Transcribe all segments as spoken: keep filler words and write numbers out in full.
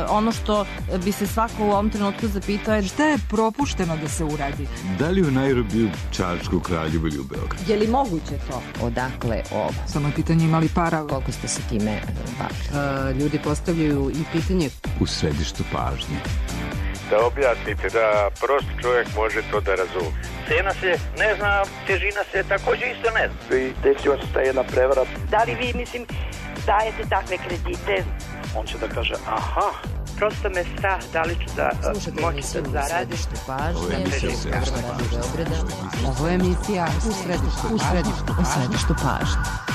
ono što bi se svako u ovom trenutku zapitao je šta je propušteno da se uradi? Da li u Nairobiju, Čačku, Kraljevu ili u Beogradu? Je li moguće to? Odakle ovo? Samo je pitanje imali para. Koliko ste se time bavili? Ljudi postavljaju i pitanje u središtu pažnje. Da objasnite, da prost čovjek može to da razumije. Cena se ne zna, težina se također isto ne zna. I desila se ta jedna prevara. Da li vi, mislim, dajete takve kredite? On će da kaže, aha. Prosto me strah da li ću da moći da zaradim. Ovo je emisija Ovo je emisija u središtu, u središtu, u središtu pažnje.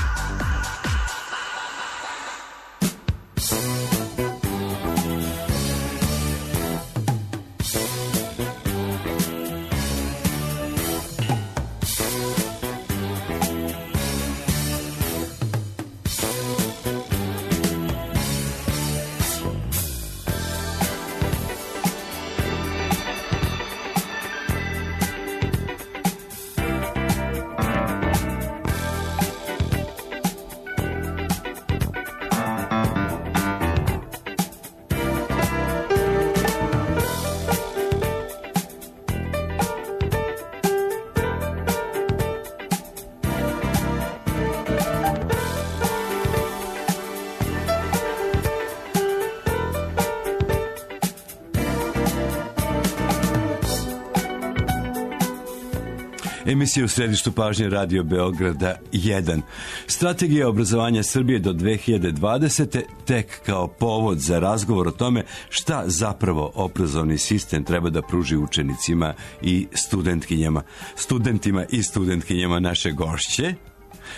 Emisija u središtu pažnje Radio Beograda jedan. Strategija obrazovanja Srbije do dve hiljade dvadesete tek kao povod za razgovor o tome šta zapravo obrazovni sistem treba da pruži učenicima i studentkinjama. Studentima i studentkinjama naše gošće.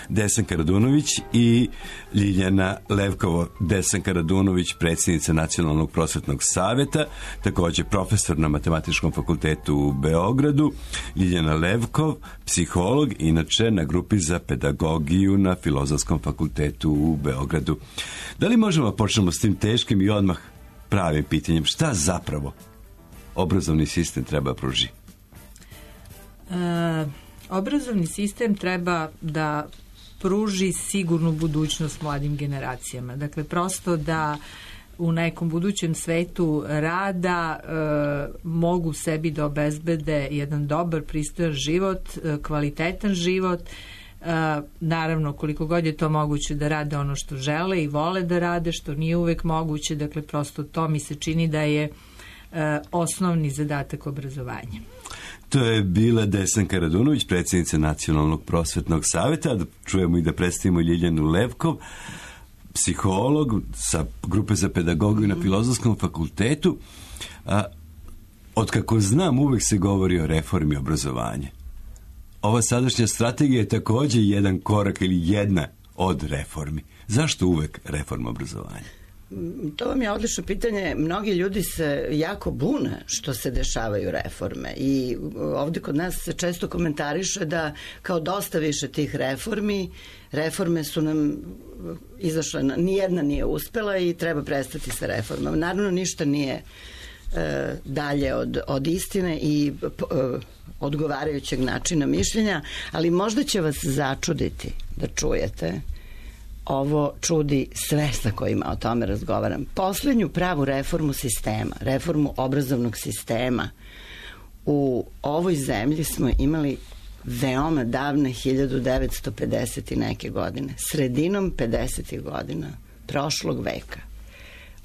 Desanka Radunović i Ljiljana Levkovo. Desanka Radunović, predsjednica Nacionalnog prosvetnog saveta, također profesor na Matematičkom fakultetu u Beogradu. Ljiljana Levkov, psiholog, inače na grupi za pedagogiju na Filozofskom fakultetu u Beogradu. Da li možemo počnemo s tim teškim i odmah pravim pitanjem, šta zapravo obrazovni sistem treba pruži? E... Obrazovni sistem treba da pruži sigurnu budućnost mladim generacijama. Dakle, prosto da u nekom budućem svetu rada e, mogu sebi da obezbede jedan dobar, pristojan život, e, kvalitetan život. E, naravno, koliko god je to moguće da rade ono što žele i vole da rade, što nije uvek moguće. Dakle, prosto to mi se čini da je e, osnovni zadatak obrazovanja. To je bila Desanka Radunović, predsjednica Nacionalnog prosvetnog saveta. Da čujemo i da predstavimo Ljiljanu Levkov, psiholog sa grupe za pedagogiju na Filozofskom fakultetu. A, od kako znam, uvek se govori o reformi obrazovanja. Ova sadašnja strategija je također jedan korak ili jedna od reformi. Zašto uvek reforma obrazovanja? To vam je odlično pitanje. Mnogi ljudi se jako bune što se dešavaju reforme i ovdje kod nas se često komentariše da kao dosta više tih reformi, reforme su nam izašle, nijedna nije uspela i treba prestati sa reformama. Naravno, ništa nije e, dalje od, od istine i e, odgovarajućeg načina mišljenja, ali možda će vas začuditi da čujete. Ovo čudi sve sa kojima o tome razgovaram. Posljednju pravu reformu sistema, reformu obrazovnog sistema u ovoj zemlji smo imali veoma davne hiljadu devetsto pedeset i neke godine, sredinom pedesetih godina prošlog veka.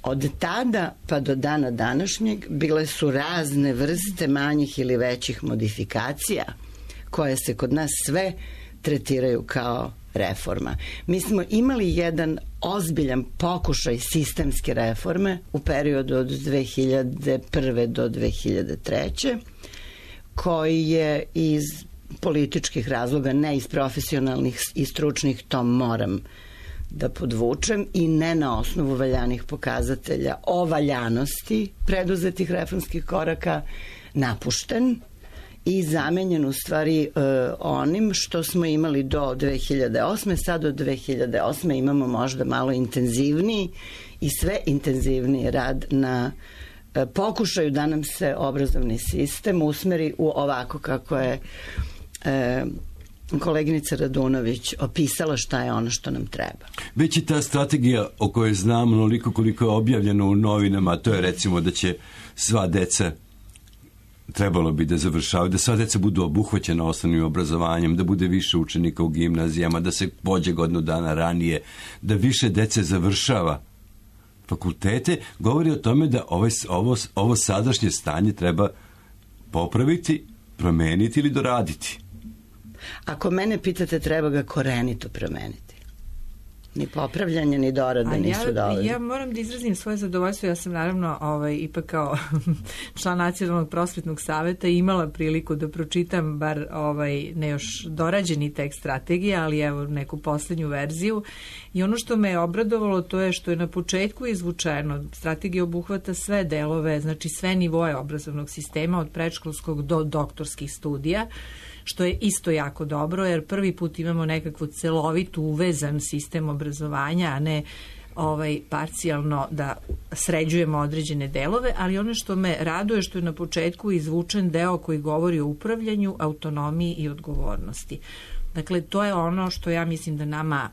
Od tada pa do dana današnjeg bile su razne vrste manjih ili većih modifikacija koje se kod nas sve tretiraju kao reforma. Mi smo imali jedan ozbiljan pokušaj sistemske reforme u periodu od dve hiljade prve do dve hiljade treće koji je iz političkih razloga, ne iz profesionalnih i stručnih, to moram da podvučem, i ne na osnovu valjanih pokazatelja o valjanosti preduzetih reformskih koraka, napušten i zamenjen u stvari e, onim što smo imali do dve hiljade osme. Sad do dve hiljade osme imamo možda malo intenzivniji i sve intenzivniji rad na e, pokušaju da nam se obrazovni sistem usmeri u ovako kako je e, koleginica Radunović opisala šta je ono što nam treba. Već i ta strategija o kojoj znam onoliko koliko je objavljeno u novinama, to je recimo da će sva deca, trebalo bi da završavaju, da sva deca budu obuhvaćena osnovnim obrazovanjem, da bude više učenika u gimnazijama, da se pođe godinu dana ranije, da više dece završava fakultete, govori o tome da ovaj, ovo, ovo sadašnje stanje treba popraviti, promeniti ili doraditi. Ako mene pitate, treba ga korenito promeniti. Ni popravljanje, ni dorade nisu dovoljne. Ja moram da izrazim svoje zadovoljstvo. Ja sam naravno ovaj, ipak kao član Nacionalnog prosvetnog saveta imala priliku da pročitam bar ovaj, ne još dorađeni tekst strategije, ali evo neku poslednju verziju. I ono što me je obradovalo to je što je na početku izvučeno. Strategija obuhvata sve delove, znači sve nivoje obrazovnog sistema od predškolskog do doktorskih studija, što je isto jako dobro, jer prvi put imamo nekakvu celovitu uvezan sistem obrazovanja, a ne ovaj, parcijalno da sređujemo određene delove, ali ono što me raduje što je na početku izvučen deo koji govori o upravljanju, autonomiji i odgovornosti. Dakle, to je ono što ja mislim da nama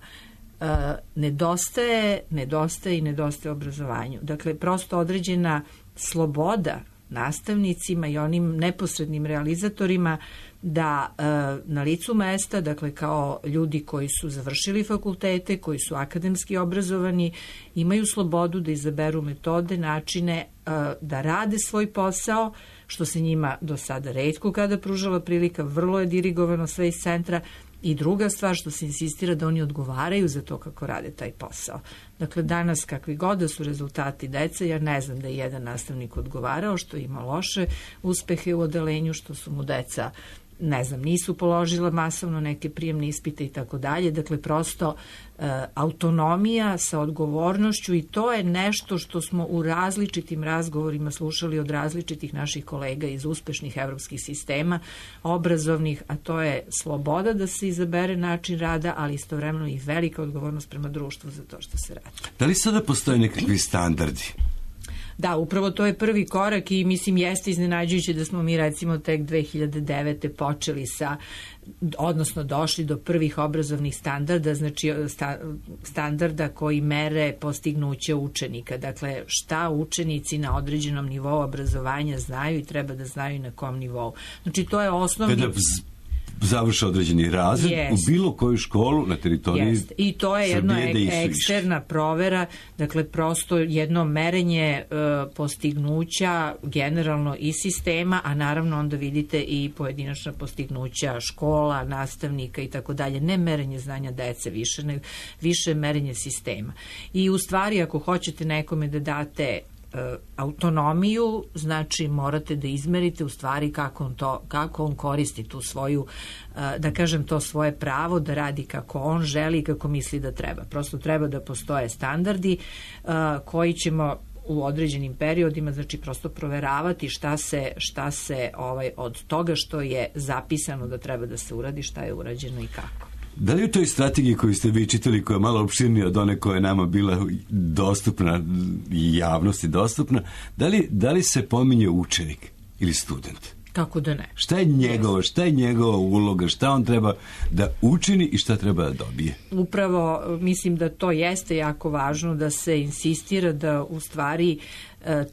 uh, nedostaje, nedostaje i nedostaje obrazovanju. Dakle, prosto određena sloboda nastavnicima i onim neposrednim realizatorima da e, na licu mesta, dakle kao ljudi koji su završili fakultete, koji su akademski obrazovani, imaju slobodu da izaberu metode, načine e, da rade svoj posao, što se njima do sada retko kada pružala prilika, vrlo je dirigovano sve iz centra. I druga stvar što se insistira da oni odgovaraju za to kako rade taj posao. Dakle, danas kakvi god da su rezultati dece, ja ne znam da je jedan nastavnik odgovarao što ima loše uspehe u odelenju, što su mu deca, ne znam, nisu položila masovno neke prijemne ispite i tako dalje. Dakle, prosto e, autonomija sa odgovornošću i to je nešto što smo u različitim razgovorima slušali od različitih naših kolega iz uspešnih evropskih sistema obrazovnih, a to je sloboda da se izabere način rada, ali istovremeno i velika odgovornost prema društvu za to što se radi. Da li sada postoje nekakvi standardi? Da, upravo to je prvi korak i mislim jeste iznenađujuće da smo mi recimo tek dve hiljade devete počeli sa, odnosno došli do prvih obrazovnih standarda, znači sta, standarda koji mere postignuće učenika. Dakle, šta učenici na određenom nivou obrazovanja znaju i treba da znaju na kom nivou. Znači, to je osnovni... Kada završe određeni razred yes. u bilo koju školu na teritoriji yes. I to je jedno ek, eksterna provera, dakle prosto jedno merenje e, postignuća generalno i sistema, a naravno onda vidite i pojedinačna postignuća škola, nastavnika i tako dalje. Ne merenje znanja dece više, ne, više merenje sistema. I u stvari ako hoćete nekome da date autonomiju, znači morate da izmerite u stvari kako on, to, kako on koristi tu svoju, da kažem to svoje pravo da radi kako on želi i kako misli da treba. Prosto treba da postoje standardi koji ćemo u određenim periodima, znači prosto proveravati šta se, šta se ovaj, od toga što je zapisano da treba da se uradi, šta je urađeno i kako. Da li u toj strategiji koju ste vi čitali, koja je malo opširnija od one koja je nama bila dostupna i javnosti dostupna, da li, da li se pominje učenik ili student? Kako da ne? Šta je njegova, šta je njegova uloga, šta on treba da učini i šta treba da dobije? Upravo mislim da to jeste jako važno, da se insistira da u stvari e,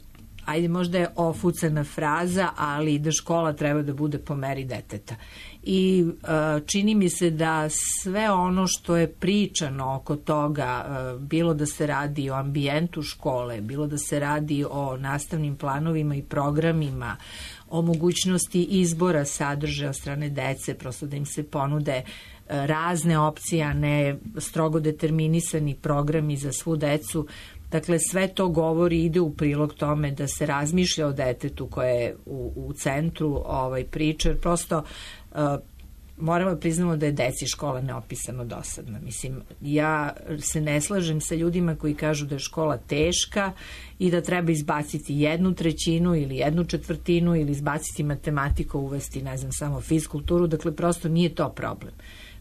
ajde možda je ofucana fraza, ali da škola treba da bude po meri deteta. I uh, čini mi se da sve ono što je pričano oko toga, uh, bilo da se radi o ambijentu škole, bilo da se radi o nastavnim planovima i programima, o mogućnosti izbora sadržaja od strane dece, prosto da im se ponude uh, razne opcije, a ne strogo determinisani programi za svu decu. Dakle, sve to govori, ide u prilog tome da se razmišlja o detetu koje je u, u centru ovaj, priče, jer prosto uh, moramo priznamo da je deci škola neopisano dosadna. Mislim, ja se ne slažem sa ljudima koji kažu da je škola teška i da treba izbaciti jednu trećinu ili jednu četvrtinu ili izbaciti matematiku, uvesti, ne znam, samo fizkulturu. Dakle, prosto nije to problem.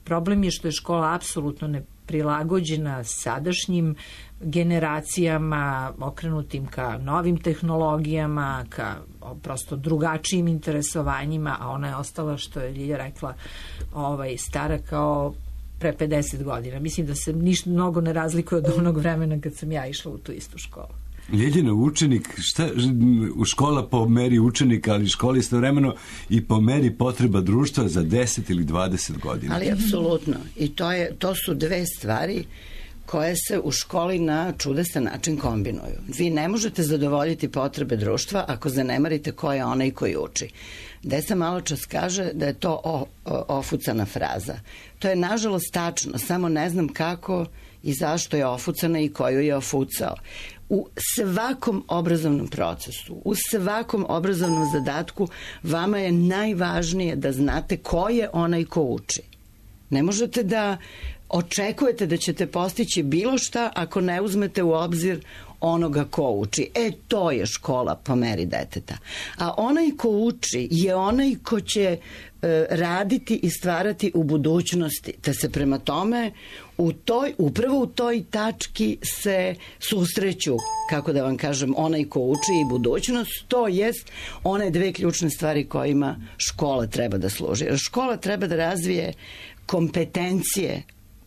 Problem je što je škola apsolutno ne prilagođena sadašnjim generacijama, okrenutim ka novim tehnologijama, ka prosto drugačijim interesovanjima, a ona je ostala, što je Ljilja rekla, ovaj, stara kao pre pedeset godina. Mislim da se ništa mnogo ne razlikuje od onog vremena kad sam ja išla u tu istu školu. Ljeljina, učenik, šta, u škola po meri učenika, ali škola istovremeno i po meri potreba društva za deset ili dvadeset godina. Ali apsolutno. I to, je, to su dve stvari koje se u školi na čudesan način kombinuju. Vi ne možete zadovoljiti potrebe društva ako zanemarite ko je onaj koji uči. Deca malo čas kaže da je to o, o, ofucana fraza. To je nažalost tačno, samo ne znam kako i zašto je ofucana i koju je ofucao. U svakom obrazovnom procesu, u svakom obrazovnom zadatku vama je najvažnije da znate ko je onaj ko uči. Ne možete da očekujete da ćete postići bilo šta ako ne uzmete u obzir onoga ko uči. E, to je škola po meri deteta. A onaj ko uči je onaj ko će e, raditi i stvarati u budućnosti. Te se prema tome u toj, upravo u toj tački se susreću, kako da vam kažem, onaj ko uči i budućnost, to jest one dve ključne stvari kojima škola treba da služi. Jer škola treba da razvije kompetencije,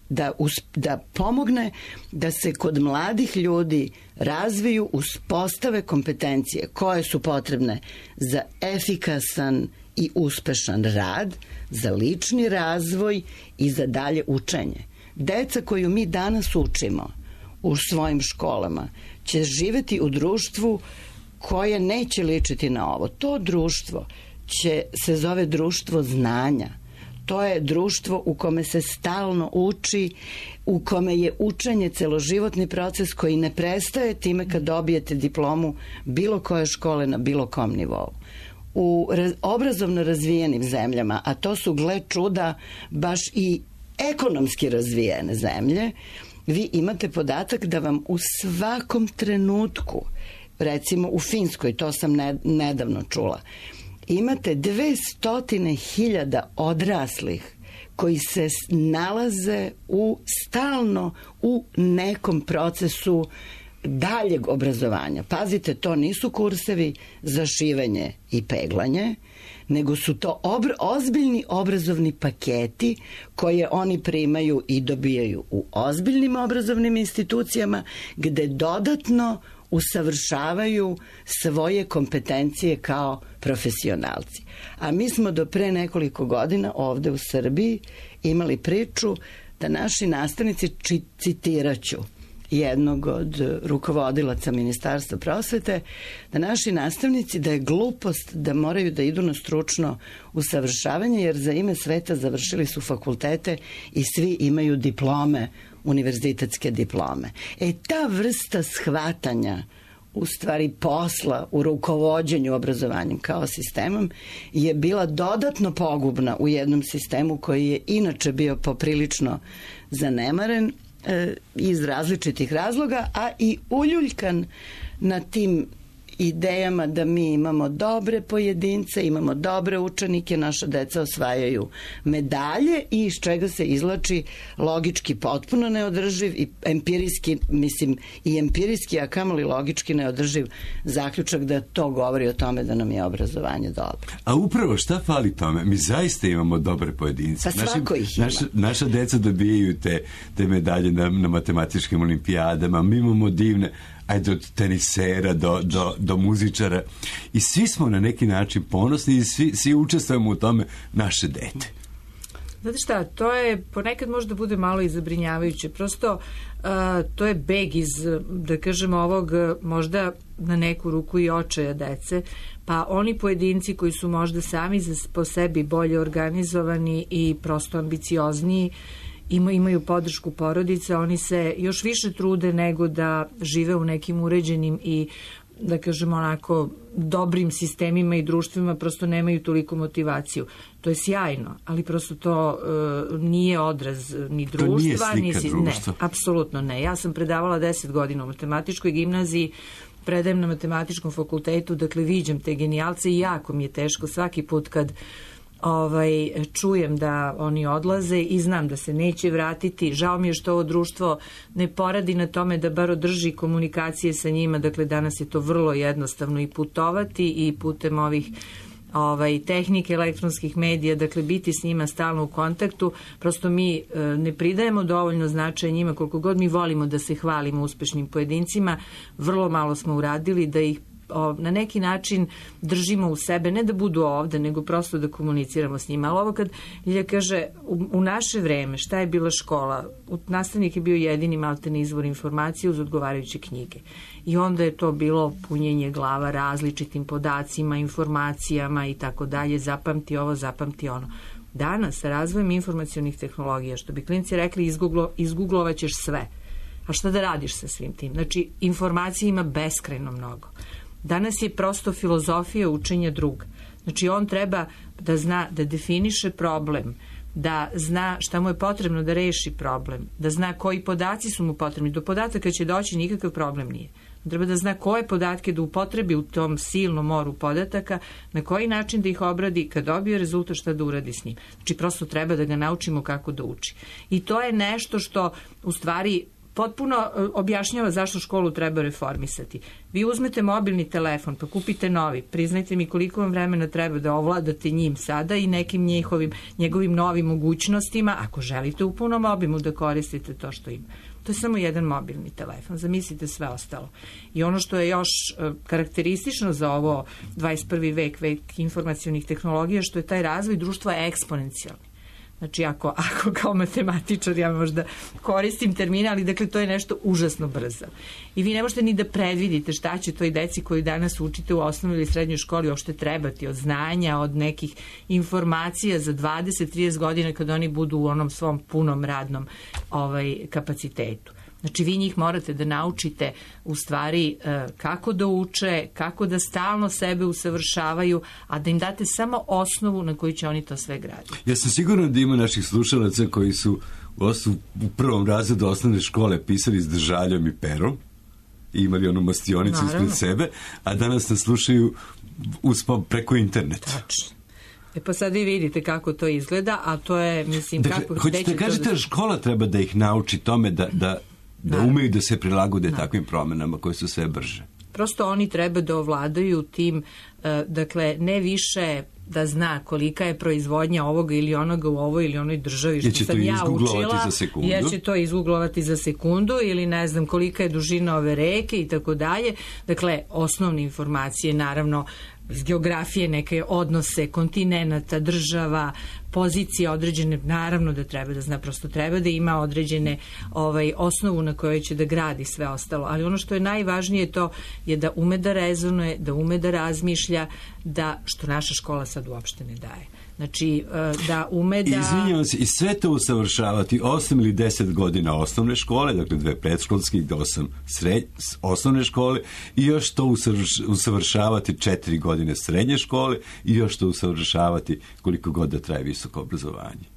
da, us, da pomogne da se kod mladih ljudi razviju, uspostave kompetencije koje su potrebne za efikasan i uspešan rad, za lični razvoj i za dalje učenje. Deca koju mi danas učimo u svojim školama će živeti u društvu koje neće ličiti na ovo. To društvo će, se zove društvo znanja. To je društvo u kome se stalno uči, u kome je učenje celoživotni proces koji ne prestaje time kad dobijete diplomu bilo koje škole na bilo kom nivou. U raz, obrazovno razvijenim zemljama, a to su, gle čuda, baš i ekonomski razvijene zemlje, vi imate podatak da vam u svakom trenutku, recimo u Finskoj, to sam ne, nedavno čula, imate dve stotine hiljada odraslih koji se nalaze u stalno u nekom procesu daljeg obrazovanja. Pazite, to nisu kursevi za šivenje i peglanje, nego su to obr- ozbiljni obrazovni paketi koje oni primaju i dobijaju u ozbiljnim obrazovnim institucijama gde dodatno usavršavaju svoje kompetencije kao profesionalci. A mi smo do pre nekoliko godina ovde u Srbiji imali priču da naši nastavnici, citiraću jednog od rukovodilaca Ministarstva prosvete, da naši nastavnici, da je glupost da moraju da idu na stručno usavršavanje, jer za ime sveta završili su fakultete i svi imaju diplome, univerzitetske diplome. E, ta vrsta shvatanja u stvari posla u rukovođenju obrazovanjem kao sistemom je bila dodatno pogubna u jednom sistemu koji je inače bio poprilično zanemaren e, iz različitih razloga, a i uljuljkan na tim idejama da mi imamo dobre pojedince, imamo dobre učenike, naša deca osvajaju medalje i iz čega se izlači logički potpuno neodrživ i empirijski, mislim, i empirijski, a kamoli logički neodrživ zaključak da to govori o tome da nam je obrazovanje dobro. A upravo šta fali tome? Mi zaista imamo dobre pojedince. Pa svako ih ima. Naša, naša deca dobijaju te, te medalje na, na matematičkim olimpijadama, mi imamo divne, ajde od tenisera do, do, do muzičara i svi smo na neki način ponosni i svi, svi učestvujemo u tome naše dete. Znate šta, to je ponekad možda bude malo i zabrinjavajuće. Prosto uh, to je beg iz, da kažemo, ovog možda na neku ruku i očaja dece, pa oni pojedinci koji su možda sami za, po sebi bolje organizovani i prosto ambiciozniji, Ima, imaju podršku porodice, oni se još više trude nego da žive u nekim uređenim i, da kažemo, onako dobrim sistemima i društvima, prosto nemaju toliko motivaciju. To je sjajno, ali prosto to uh, nije odraz ni društva. To nije slika ni, društva. Ne, apsolutno ne. Ja sam predavala deset godina u matematičkoj gimnaziji, predajem na matematičkom fakultetu, dakle viđam te genijalce i jako mi je teško svaki put kad ovaj, čujem da oni odlaze i znam da se neće vratiti. Žao mi je što ovo društvo ne poradi na tome da bar održi komunikacije sa njima. Dakle, danas je to vrlo jednostavno i putovati i putem ovih ovaj, tehnike elektronskih medija, dakle biti s njima stalno u kontaktu. Prosto mi e, ne pridajemo dovoljno značaja njima, koliko god mi volimo da se hvalimo uspešnim pojedincima, vrlo malo smo uradili da ih o, na neki način držimo u sebe, ne da budu ovde, nego prosto da komuniciramo s njima. Ali ovo kad Ljilja kaže, u, u naše vreme, šta je bila škola? Nastavnik je bio jedini maltene izvor informacije uz odgovarajuće knjige. I onda je to bilo punjenje glava različitim podacima, informacijama i tako dalje, zapamti ovo, zapamti ono. Danas, sa razvojem informacionih tehnologija, što bi klinci rekli, izgooglo, izgooglovaćeš sve. A šta da radiš sa svim tim? Znači, informacija ima beskrajno mnogo. Danas je prosto filozofija učenja druga. Znači, on treba da zna, da definiše problem, da zna šta mu je potrebno da reši problem, da zna koji podaci su mu potrebni. Do podataka će doći, nikakav problem nije. Treba da zna koje podatke da upotrebi u tom silnom moru podataka, na koji način da ih obradi, kad dobije rezultat šta da uradi s njim. Znači, prosto treba da ga naučimo kako da uči. I to je nešto što, u stvari, potpuno objašnjava zašto školu treba reformisati. Vi uzmete mobilni telefon, pa kupite novi, priznajte mi koliko vam vremena treba da ovladate njim sada i nekim njihovim, njegovim novim mogućnostima, ako želite u punom obimu da koristite to što ima. To je samo jedan mobilni telefon, zamislite sve ostalo. I ono što je još karakteristično za ovo dvadeset prvi vek, vek informacionih tehnologija, što je taj razvoj društva eksponencijalni. Znači, ako, ako kao matematičar ja možda koristim termine, ali dakle to je nešto užasno brzo. I vi ne možete ni da predvidite šta će toj deci koju danas učite u osnovnoj ili srednjoj školi uopšte trebati od znanja, od nekih informacija za dvadeset do trideset godina kad oni budu u onom svom punom radnom ovaj, kapacitetu. Znači, vi njih morate da naučite u stvari kako da uče, kako da stalno sebe usavršavaju, a da im date samo osnovu na koju će oni to sve graditi. Ja sam siguran da ima naših slušalaca koji su u prvom razredu osnovne škole pisali s držaljom i perom i imali onu mastionicu ispred sebe, a danas nas slušaju uspom preko interneta. Tačno. E pa sad vi vidite kako to izgleda, a to je, mislim, dakle, kako... Hoćete da kažete da škola treba da ih nauči tome da, da, da umeju da se prilagode da. takvim promenama koje su sve brže. Prosto oni treba da ovladaju tim, dakle, ne više da zna kolika je proizvodnja ovoga ili onoga u ovoj ili onoj državi što sam ja učila, jer će to izgooglovati za sekundu ili ne znam kolika je dužina ove reke i tako dalje. Dakle, osnovne informacije, naravno, iz geografije, neke odnose kontinenata, država, pozicije određene, naravno da treba da zna, prosto treba da ima određene ovaj, osnovu na kojoj će da gradi sve ostalo. Ali ono što je najvažnije to je da ume da rezonuje, da ume da razmišlja, da, što naša škola sad uopšte ne daje. Znači, da ume da... Izvinjavam se, i sve to usavršavati osam ili deset godina osnovne škole, dakle dve predškolske i osam sred... osnovne škole, i još to usavrš... usavršavati četiri godine srednje škole i još to usavršavati koliko god da traje visoko obrazovanje.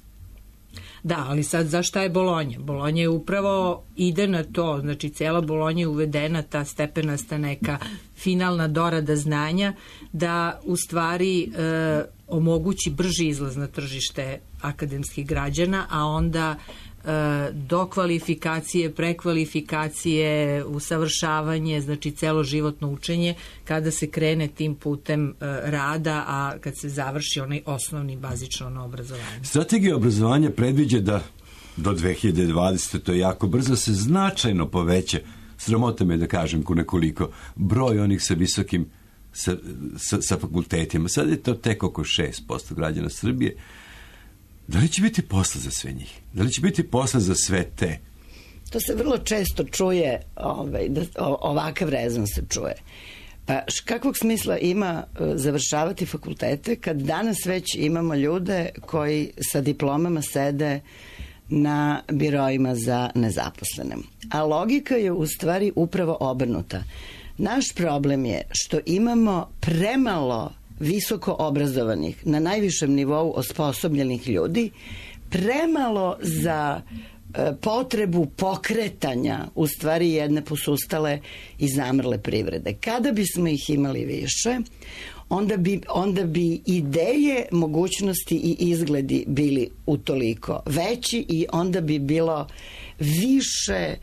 Da, ali sad zašta je Bolonja? Bolonja je upravo ide na to, znači cela Bolonja je uvedena, ta stepenasta neka finalna dorada znanja, da u stvari e, omogući brži izlaz na tržište akademskih građana, a onda e, do kvalifikacije, prekvalifikacije, usavršavanje, znači celoživotno učenje, kada se krene tim putem e, rada, a kad se završi onaj osnovni bazično ono obrazovanje. Strategija obrazovanja predviđa da do dve hiljade dvadesete to je jako brzo, se značajno poveća, sramota me da kažem ko nekoliko, broj onih sa visokim sa, sa, sa fakultetima. Sad je to tek oko šest posto građana Srbije. Da li će biti posla za sve njih? Da li će biti posla za sve te? To se vrlo često čuje, ovaj, da, ovakav rezon se čuje. Pa kakvog smisla ima završavati fakultete kad danas već imamo ljude koji sa diplomama sede na biroima za nezaposlene. A logika je u stvari upravo obrnuta. Naš problem je što imamo premalo visoko obrazovanih, na najvišem nivou osposobljenih ljudi, premalo za potrebu pokretanja u stvari jedne posustale i zamrle privrede. Kada bismo ih imali više, onda bi, onda bi ideje, mogućnosti i izgledi bili utoliko veći i onda bi bilo više,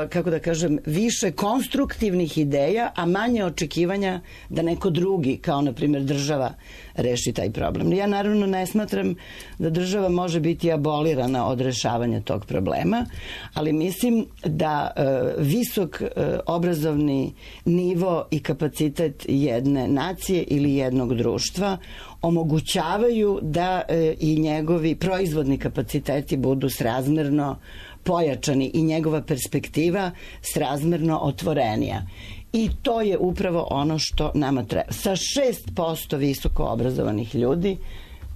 kako da kažem, više konstruktivnih ideja, a manje očekivanja da neko drugi, kao na primjer država, reši taj problem. Ja naravno ne smatram da država može biti abolirana od rešavanja tog problema, ali mislim da e, visok e, obrazovni nivo i kapacitet jedne nacije ili jednog društva omogućavaju da e, i njegovi proizvodni kapaciteti budu srazmerno pojačani i njegova perspektiva srazmerno otvorenija. I to je upravo ono što nama treba. Sa šest posto visoko obrazovanih ljudi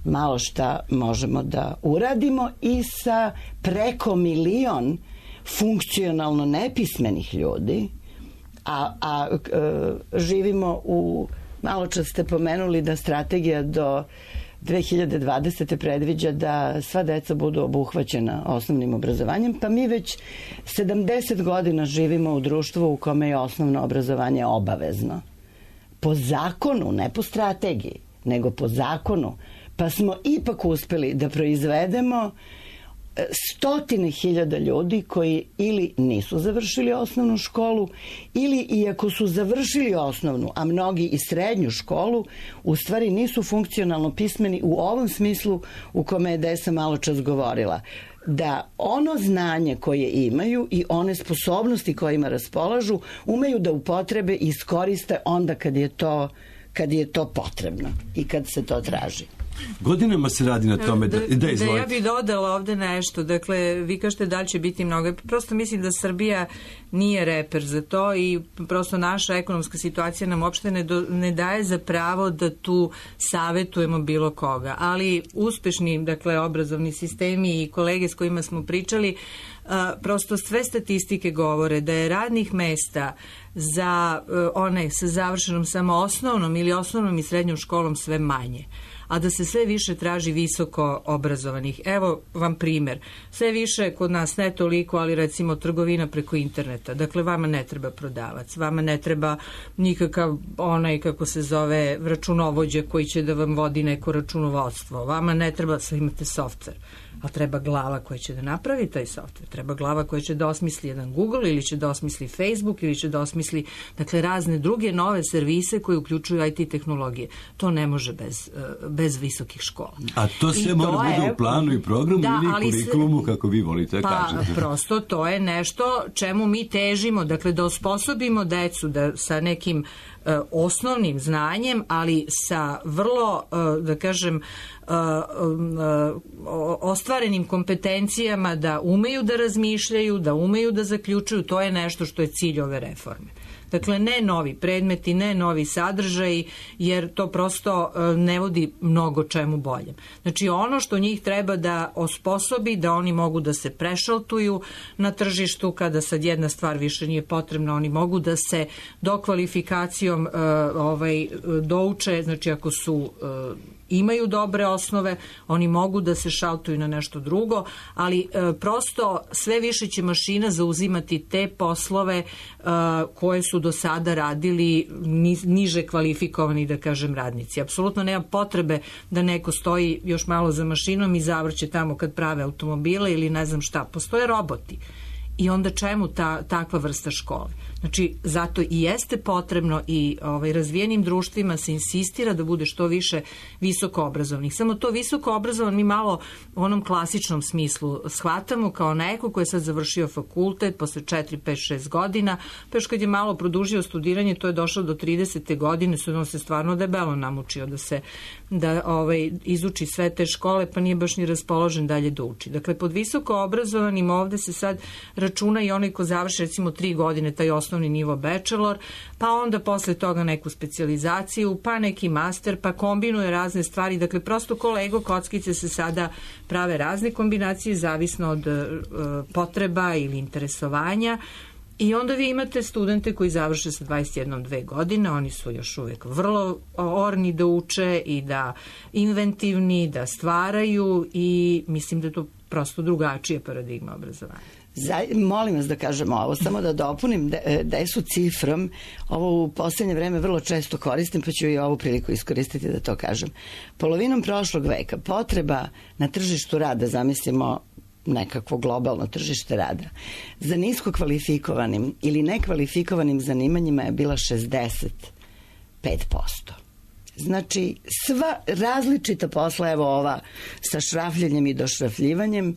malo šta možemo da uradimo i sa preko milion funkcionalno nepismenih ljudi, a, a e, živimo u, malo čas ste pomenuli da strategija do dve hiljade dvadesete predviđa da sva deca budu obuhvaćena osnovnim obrazovanjem, pa mi već sedamdeset godina živimo u društvu u kome je osnovno obrazovanje obavezno. Po zakonu, ne po strategiji, nego po zakonu, pa smo ipak uspeli da proizvedemo stotine hiljada ljudi koji ili nisu završili osnovnu školu ili iako su završili osnovnu, a mnogi i srednju školu, u stvari nisu funkcionalno pismeni u ovom smislu u kome je Desa malo čas govorila. Da ono znanje koje imaju i one sposobnosti kojima raspolažu umeju da upotrebe i iskoriste onda kad je to, kad je to potrebno i kad se to traži. Godinama se radi na tome da, da, da, da ja bih dodala ovde nešto. Dakle, vi kažete da li će biti mnogo. Prosto mislim da Srbija nije reper za to i prosto naša ekonomska situacija nam uopšte ne, do, ne daje za pravo da tu savetujemo bilo koga. Ali uspešni, dakle, obrazovni sistemi i kolege s kojima smo pričali, a, prosto sve statistike govore da je radnih mesta za a, one sa završenom samo osnovnom ili osnovnom i srednjom školom sve manje, a da se sve više traži visoko obrazovanih. Evo vam primer. Sve više kod nas, ne toliko, ali recimo trgovina preko interneta. Dakle, vama ne treba prodavac, vama ne treba nikakav onaj, kako se zove, računovođa koji će da vam vodi neko računovodstvo. Vama ne treba, sve imate softver, ali treba glava koja će da napravi taj softver. Treba glava koja će da osmisli jedan Google ili će da osmisli Facebook ili će da osmisli, dakle, razne druge nove servise koje uključuju I T tehnologije. To ne može bez, bez visokih škola. A to sve mora bude je, u planu i programu da, ili kurikulumu, kako vi volite pa, kažete. Pa prosto to je nešto čemu mi težimo, dakle da osposobimo decu da sa nekim uh, osnovnim znanjem, ali sa vrlo, uh, da kažem, uh, uh, ostvarenim kompetencijama da umeju da razmišljaju, da umeju da zaključuju. To je nešto što je cilj ove reforme. Dakle, ne novi predmeti, ne novi sadržaji, jer to prosto ne vodi mnogo čemu boljem. Znači, ono što njih treba da osposobi, da oni mogu da se prešaltuju na tržištu, kada sad jedna stvar više nije potrebna, oni mogu da se dokvalifikacijom uh, ovaj, douče, znači ako su uh, imaju dobre osnove, oni mogu da se šaltuju na nešto drugo, ali e, prosto sve više će mašina zauzimati te poslove e, koje su do sada radili ni, niže kvalifikovani, da kažem, radnici. Apsolutno nema potrebe da neko stoji još malo za mašinom i zavrće tamo kad prave automobile ili ne znam šta. Postoje roboti. I onda čemu ta, takva vrsta škole? Znači, zato i jeste potrebno i ovaj, razvijenim društvima se insistira da bude što više visoko obrazovnih. Samo to visoko obrazovan mi malo u onom klasičnom smislu shvatamo kao neko ko je sad završio fakultet posle četiri, pet, šest godina, pa još kad je malo produžio studiranje, to je došlo do tridesete godine, su on se stvarno debelo namučio da se da ovaj, izuči sve te škole, pa nije baš ni raspoložen dalje da uči. Dakle, pod visoko obrazovanim ovde se sad računa i onaj ko završi recimo tri godine taj osnovni nivo bachelor, pa onda posle toga neku specijalizaciju, pa neki master, pa kombinuje razne stvari. Dakle, prosto ko Lego kockice se sada prave razne kombinacije zavisno od uh, potreba ili interesovanja. I onda vi imate studente koji završe sa dvadeset jedan dve godine, oni su još uvek vrlo orni da uče i da inventivni, da stvaraju i mislim da to prosto drugačija paradigma obrazovanja. Za, molim vas da kažemo ovo, samo da dopunim de, desu cifrom, ovo u poslednje vreme vrlo često koristim, pa ću i ovu priliku iskoristiti da to kažem. Polovinom prošlog veka potreba na tržištu rada, zamislimo nekakvo globalno tržište rada, za nisko kvalifikovanim ili nekvalifikovanim zanimanjima je bila šezdeset pet posto. Znači, sva različita posla, evo ova sa šrafljenjem i došrafljivanjem,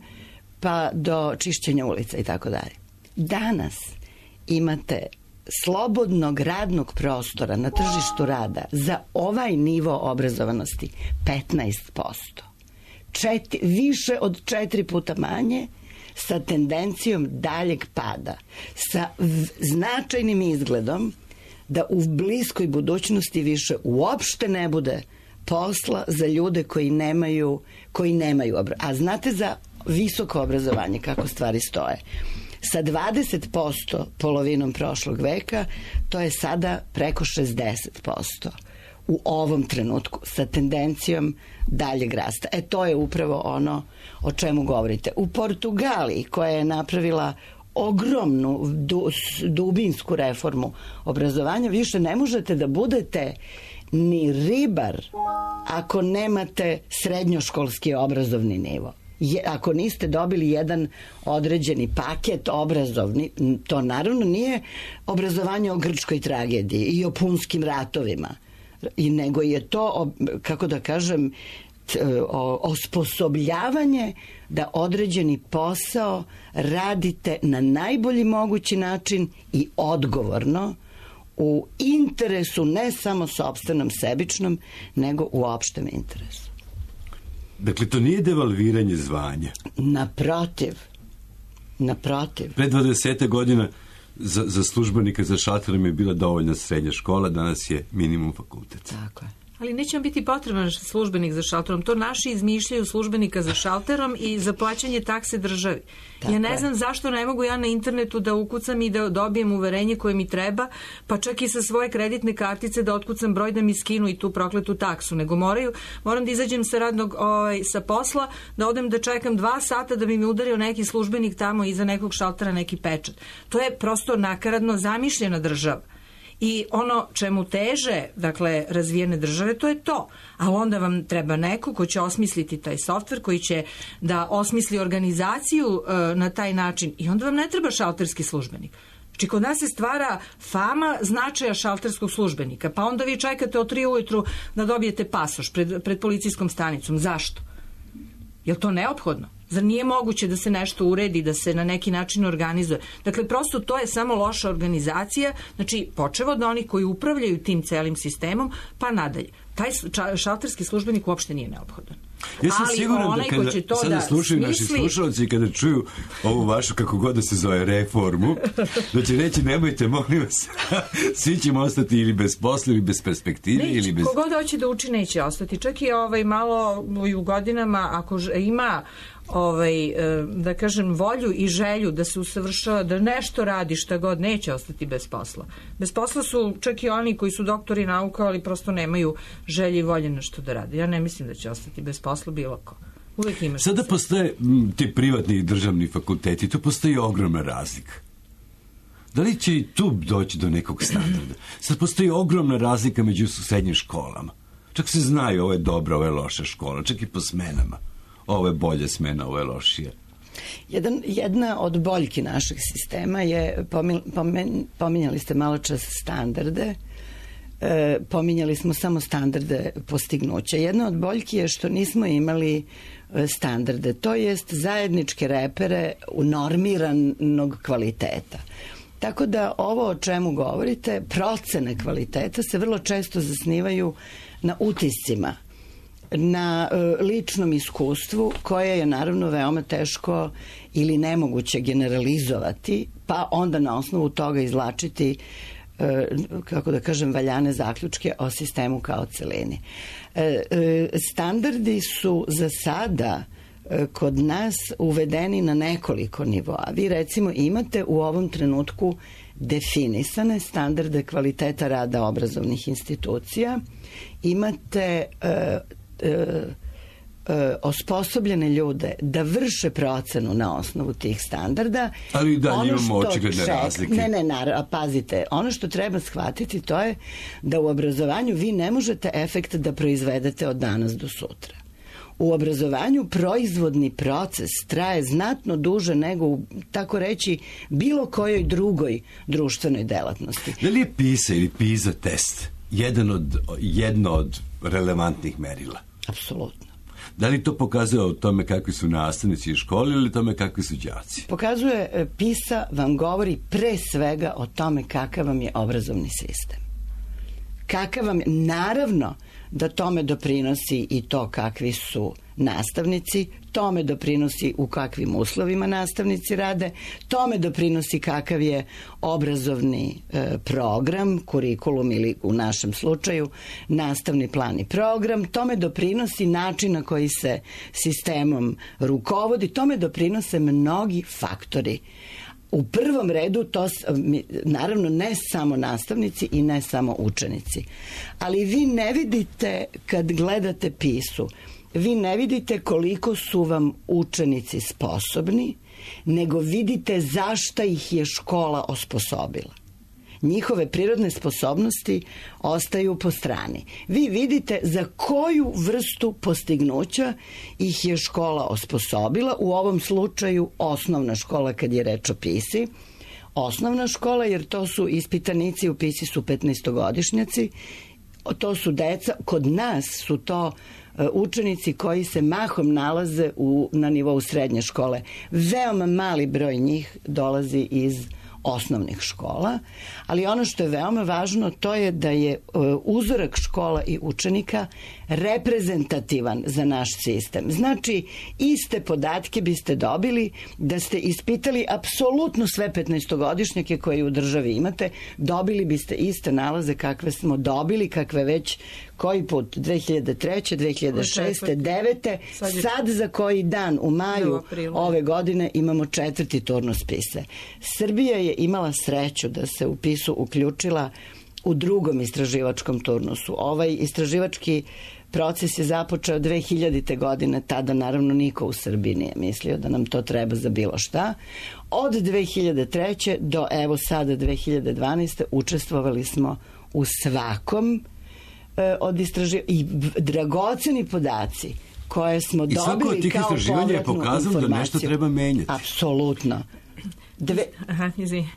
pa do čišćenja ulica i tako dalje. Danas imate slobodnog radnog prostora na tržištu rada za ovaj nivo obrazovanosti petnaest posto. Četiri, više od četiri puta manje, sa tendencijom daljeg pada, sa v, značajnim izgledom da u bliskoj budućnosti više uopšte ne bude posla za ljude koji nemaju, koji nemaju obrazovanje. A znate za visoko obrazovanje kako stvari stoje? Sa dvadeset posto polovinom prošlog veka, to je sada preko šezdeset posto u ovom trenutku, sa tendencijom daljeg rasta. E, to je upravo ono o čemu govorite. U Portugaliji, koja je napravila ogromnu du, dubinsku reformu obrazovanja, više ne možete da budete ni ribar ako nemate srednjoškolski obrazovni nivo. Je, ako niste dobili jedan određeni paket obrazovni, to naravno nije obrazovanje o grčkoj tragediji i o punskim ratovima, i nego je to, kako da kažem, osposobljavanje da određeni posao radite na najbolji mogući način i odgovorno u interesu ne samo sopstvenom sebičnom, nego u opštem interesu. Dakle, to nije devalviranje zvanja. Naprotiv. Naprotiv. Pre dvadeset godina za, za službenika za šalterom je bila dovoljna srednja škola, danas je minimum fakultet. Tako je. Ali neće vam biti potreban službenik za šalterom. To naši izmišljaju službenika za šalterom i za plaćanje takse državi. Tako ja ne znam zašto ne mogu ja na internetu da ukucam i da dobijem uverenje koje mi treba, pa čak i sa svoje kreditne kartice da otkucam broj da mi skinu i tu prokletu taksu. Nego moraju, moram da izađem sa radnog, ovaj, sa posla, da odem da čekam dva sata da bi mi udario neki službenik tamo iza nekog šaltera neki pečat. To je prosto nakaradno zamišljena država. I ono čemu teže, dakle, razvijene države, to je to. Ali onda vam treba neko ko će osmisliti taj softver, koji će da osmisli organizaciju e, na taj način. I onda vam ne treba šalterski službenik. Znači, kod nas se stvara fama značaja šalterskog službenika. Pa onda vi čekate od tri ujutru da dobijete pasoš pred, pred policijskom stanicom. Zašto? Je li to neophodno? Zar nije moguće da se nešto uredi, da se na neki način organizuje? Dakle, prosto to je samo loša organizacija, znači počevo od onih koji upravljaju tim celim sistemom, pa nadalje. Taj šalterski službenik uopšte nije neophodan. Ja sam ali siguran da kada sada da slušaju smisli... naši slušalci, kada čuju ovu vašu, kako god da se zove, reformu, da će reći, nemojte, molim vas, svi ćemo ostati ili bez posla, ili bez perspektive, Neće, ili bez... Kogod hoće da uči, neće ostati. Čak i ovaj, malo u godinama, ako ima ovaj, da kažem, volju i želju da se usavršava, da nešto radi, šta god, neće ostati bez posla. Bez posla su čak i oni koji su doktori nauka, ali prosto nemaju želje i volje nešto da rade. Ja ne mislim da će ostati bez posla bilo ko. Uvijek imaš. Sada postoje m, ti privatni i državni fakulteti, tu postoji ogromna razlika. Da li će i tu doći do nekog standarda? Sad postoji ogromna razlika među srednjim školama. Čak se znaju, ovo je dobra, ovo je loša škola, čak i po smenama. Ovo je bolja smena, ovo je lošija. Jedan, jedna od boljki našeg sistema je, pomin, pomin, pominjali ste malo čas standarde, e, pominjali smo samo standarde postignuća. Jedna od boljki je što nismo imali standarde, to jest zajedničke repere u normiranog kvaliteta. Tako da ovo o čemu govorite, procene kvaliteta se vrlo često zasnivaju na utiscima, na e, ličnom iskustvu, koje je naravno veoma teško ili nemoguće generalizovati, pa onda na osnovu toga izvlačiti, e, kako da kažem, valjane zaključke o sistemu kao celini. E, e, standardi su za sada e, kod nas uvedeni na nekoliko nivoa. Vi recimo imate u ovom trenutku definisane standarde kvaliteta rada obrazovnih institucija, imate e, e, osposobljene ljude da vrše procenu na osnovu tih standarda. Ali da ono imamo što očigledne ček, razlike. Ne, ne, naravno, pazite, ono što treba shvatiti to je da u obrazovanju vi ne možete efekt da proizvedete od danas do sutra. U obrazovanju proizvodni proces traje znatno duže nego u, tako reći, bilo kojoj drugoj društvenoj delatnosti. Da li je PISA ili PISA test jedan od, jedno od relevantnih merila? Apsolutno. Da li to pokazuje o tome kakvi su nastavnici u školi ili tome kakvi su đaci? Pokazuje, PISA vam govori pre svega o tome kakav vam je obrazovni sistem. Kakav vam je, naravno da tome doprinosi i to kakvi su nastavnici, tome doprinosi u kakvim uslovima nastavnici rade, tome doprinosi kakav je obrazovni e, program, kurikulum ili u našem slučaju nastavni plan i program, tome doprinosi način na koji se sistemom rukovodi, tome doprinose mnogi faktori. U prvom redu to, naravno, ne samo nastavnici i ne samo učenici. Ali vi ne vidite, kad gledate PISU, vi ne vidite koliko su vam učenici sposobni, nego vidite zašta ih je škola osposobila. Njihove prirodne sposobnosti ostaju po strani. Vi vidite za koju vrstu postignuća ih je škola osposobila, u ovom slučaju osnovna škola kad je reč o PISI. Osnovna škola, jer to su ispitanici, u PISI su petnaestogodišnjaci, to su deca, kod nas su to učenici koji se mahom nalaze u, na nivou srednje škole. Veoma mali broj njih dolazi iz osnovnih škola, ali ono što je veoma važno to je da je uzorak škola i učenika reprezentativan za naš sistem. Znači, iste podatke biste dobili da ste ispitali apsolutno sve petnaestogodišnjake koje u državi imate, dobili biste iste nalaze kakve smo dobili, kakve već koji put, dve hiljade treće, dve hiljade šeste, dve hiljade devete, sad za koji dan u maju ove godine imamo četvrti turnus PISE. Srbija je imala sreću da se u PISU uključila u drugom istraživačkom turnusu. Ovaj istraživački proces je započeo dve hiljadite godine, tada naravno niko u Srbiji nije mislio da nam to treba za bilo šta. Od dve hiljade treće do evo sada dve hiljade dvanaeste učestvovali smo u svakom e, od istraživanja i dragoceni podaci koje smo I dobili kao povratnu je pokazalo da nešto treba menjati. Apsolutno. Dve... Aha, izvini.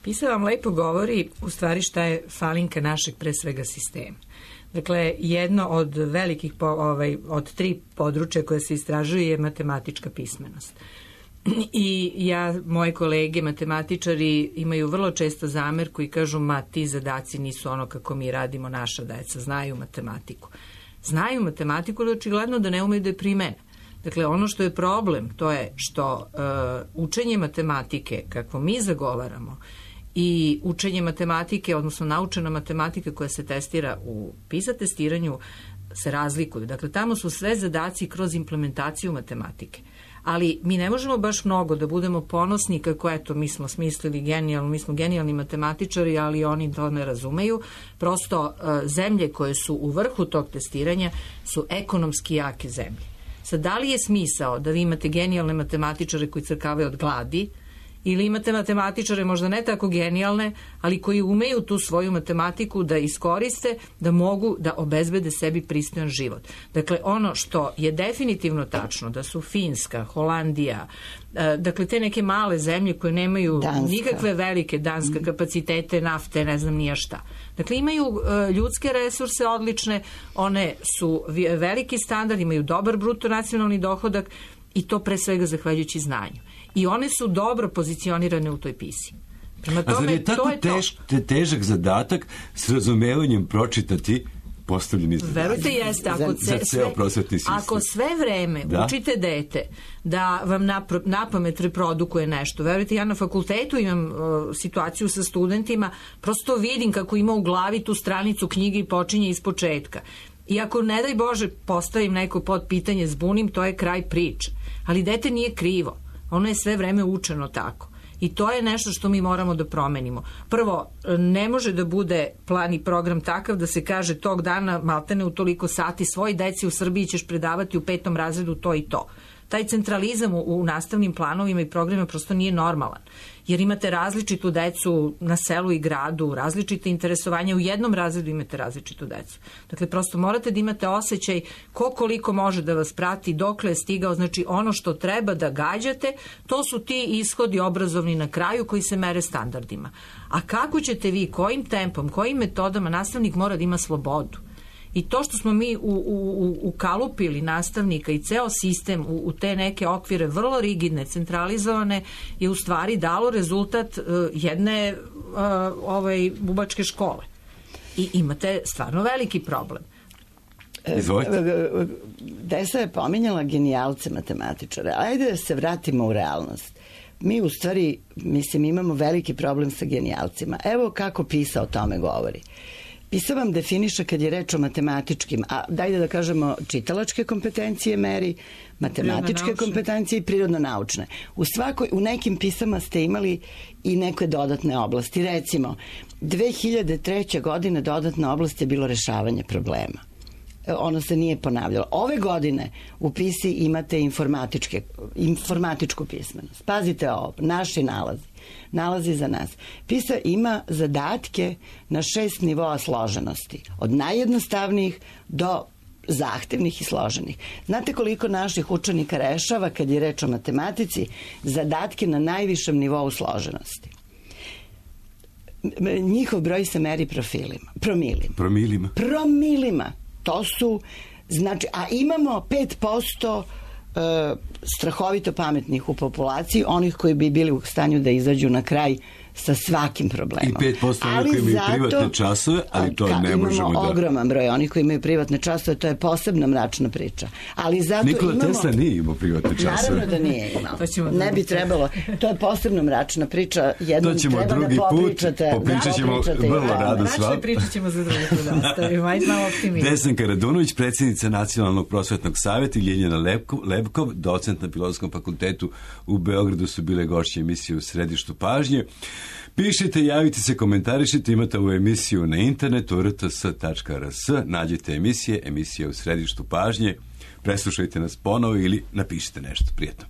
PISA vam lepo govori u stvari šta je falinka našeg pre svega sistema. Dakle, jedno od velikih, po, ovaj, od tri područja koje se istražuju je matematička pismenost. I ja, moje kolege matematičari imaju vrlo često zamerku i kažu, ma ti zadaci nisu ono kako mi radimo, naša deca znaju matematiku. Znaju matematiku, ali očigledno da ne umeju da je primene. Dakle, ono što je problem, to je što uh, učenje matematike, kako mi zagovaramo, i učenje matematike, odnosno naučena matematika koja se testira u PISA testiranju se razlikuju. Dakle, tamo su sve zadaci kroz implementaciju matematike. Ali mi ne možemo baš mnogo da budemo ponosni kako, eto, mi smo smislili genijalno, mi smo genijalni matematičari, ali oni to ne razumeju. Prosto, zemlje koje su u vrhu tog testiranja su ekonomski jake zemlje. Sad, da li je smisao da vi imate genijalne matematičare koji crkavaju od gladi, ili imate matematičare možda ne tako genijalne, ali koji umeju tu svoju matematiku da iskoriste, da mogu da obezbede sebi pristojan život. Dakle, ono što je definitivno tačno, da su Finska, Holandija, dakle te neke male zemlje koje nemaju Danska. Nikakve velike Danska kapacitete, nafte, ne znam nija šta. Dakle, imaju ljudske resurse odlične, one su veliki standard, imaju dobar bruto nacionalni dohodak i to pre svega zahvaljujući znanju. I one su dobro pozicionirane u toj PISI. Prema tome, a zar je tako to je tež, te, težak zadatak s razumevanjem pročitati postavljeni zadatak? Verujte, jeste. Ako, za, za ceo prosvetni sistem. Ako sve vreme da? učite dete da vam napro, napamet reprodukuje nešto, verujte, ja na fakultetu imam uh, situaciju sa studentima, prosto vidim kako ima u glavi tu stranicu knjige i počinje iz početka. I ako, ne daj Bože, postavim neko pod pitanje, zbunim, to je kraj priče. Ali dete nije krivo. Ono je sve vreme učeno tako. I to je nešto što mi moramo da promenimo. Prvo, ne može da bude plan i program takav da se kaže tog dana maltene u toliko sati svoj deci u Srbiji ćeš predavati u petom razredu to i to. Taj centralizam u, u nastavnim planovima i programima prosto nije normalan. Jer imate različitu decu na selu i gradu, različite interesovanja, u jednom razredu imate različitu decu. Dakle, prosto morate da imate osjećaj ko koliko može da vas prati, dokle je stigao, znači ono što treba da gađate, to su ti ishodi obrazovni na kraju koji se mere standardima. A kako ćete vi, kojim tempom, kojim metodama, nastavnik mora da ima slobodu. I to što smo mi u, u, ukalupili nastavnika i ceo sistem u, u te neke okvire vrlo rigidne, centralizovane, je u stvari dalo rezultat uh, jedne uh, ovaj, bubačke škole. I imate stvarno veliki problem. Izvolite. Desa je pominjala genijalce matematičare. Ajde da se vratimo u realnost. Mi u stvari, mislim, imamo veliki problem sa genijalcima. Evo kako PISA o tome govori. PISA vam definiše kad je reč o matematičkim, a dajde da kažemo čitalačke kompetencije meri, matematičke kompetencije i prirodno-naučne. U svakoj, u nekim pisama ste imali i neke dodatne oblasti. Recimo, dve hiljade treće. godine dodatna oblast je bilo rešavanje problema. Ono se nije ponavljalo. Ove godine u PISI imate informatičke, informatičku pismenost. Pazite ovo, naši nalazi. Nalazi za nas. PISA ima zadatke na šest nivoa složenosti. Od najjednostavnijih do zahtevnih i složenih. Znate koliko naših učenika rešava, kad je reč o matematici, zadatke na najvišem nivou složenosti? Njihov broj se meri profilima. Promilima. Promilima. Promilima. To su, znači, a imamo pet posto strahovito pametnih u populaciji, onih koji bi bili u stanju da izađu na kraj sa svakim problemom. I pet posto onih koji imaju privatne časove, ali to ne možemo da... Imamo ogroman broj onih koji imaju privatne časove, to je posebna mračna priča. Ali zato Nikola imamo... Tesla nije imao privatne časove. Naravno da nije imao. Ne bi trebalo. To je posebna mračna priča. Jednom to ćemo treba drugi da put, popričat ćemo vrlo rado s vama. Pričat ćemo za drugi put. Stavimo, ajde malo optimizam. Desanka Radunović, predsjednica Nacionalnog prosvetnog savjeta, i Ljiljana Lebkov, docent na Filozofskom fakultetu u Beogradu, su bile gošće emisije U središtu pažnje. Pišite, javite se, komentarišite, imate ovu emisiju na internetu r t s tačka r s, nađite emisije, emisije U središtu pažnje, preslušajte nas ponovo ili napišite nešto. Prijetno.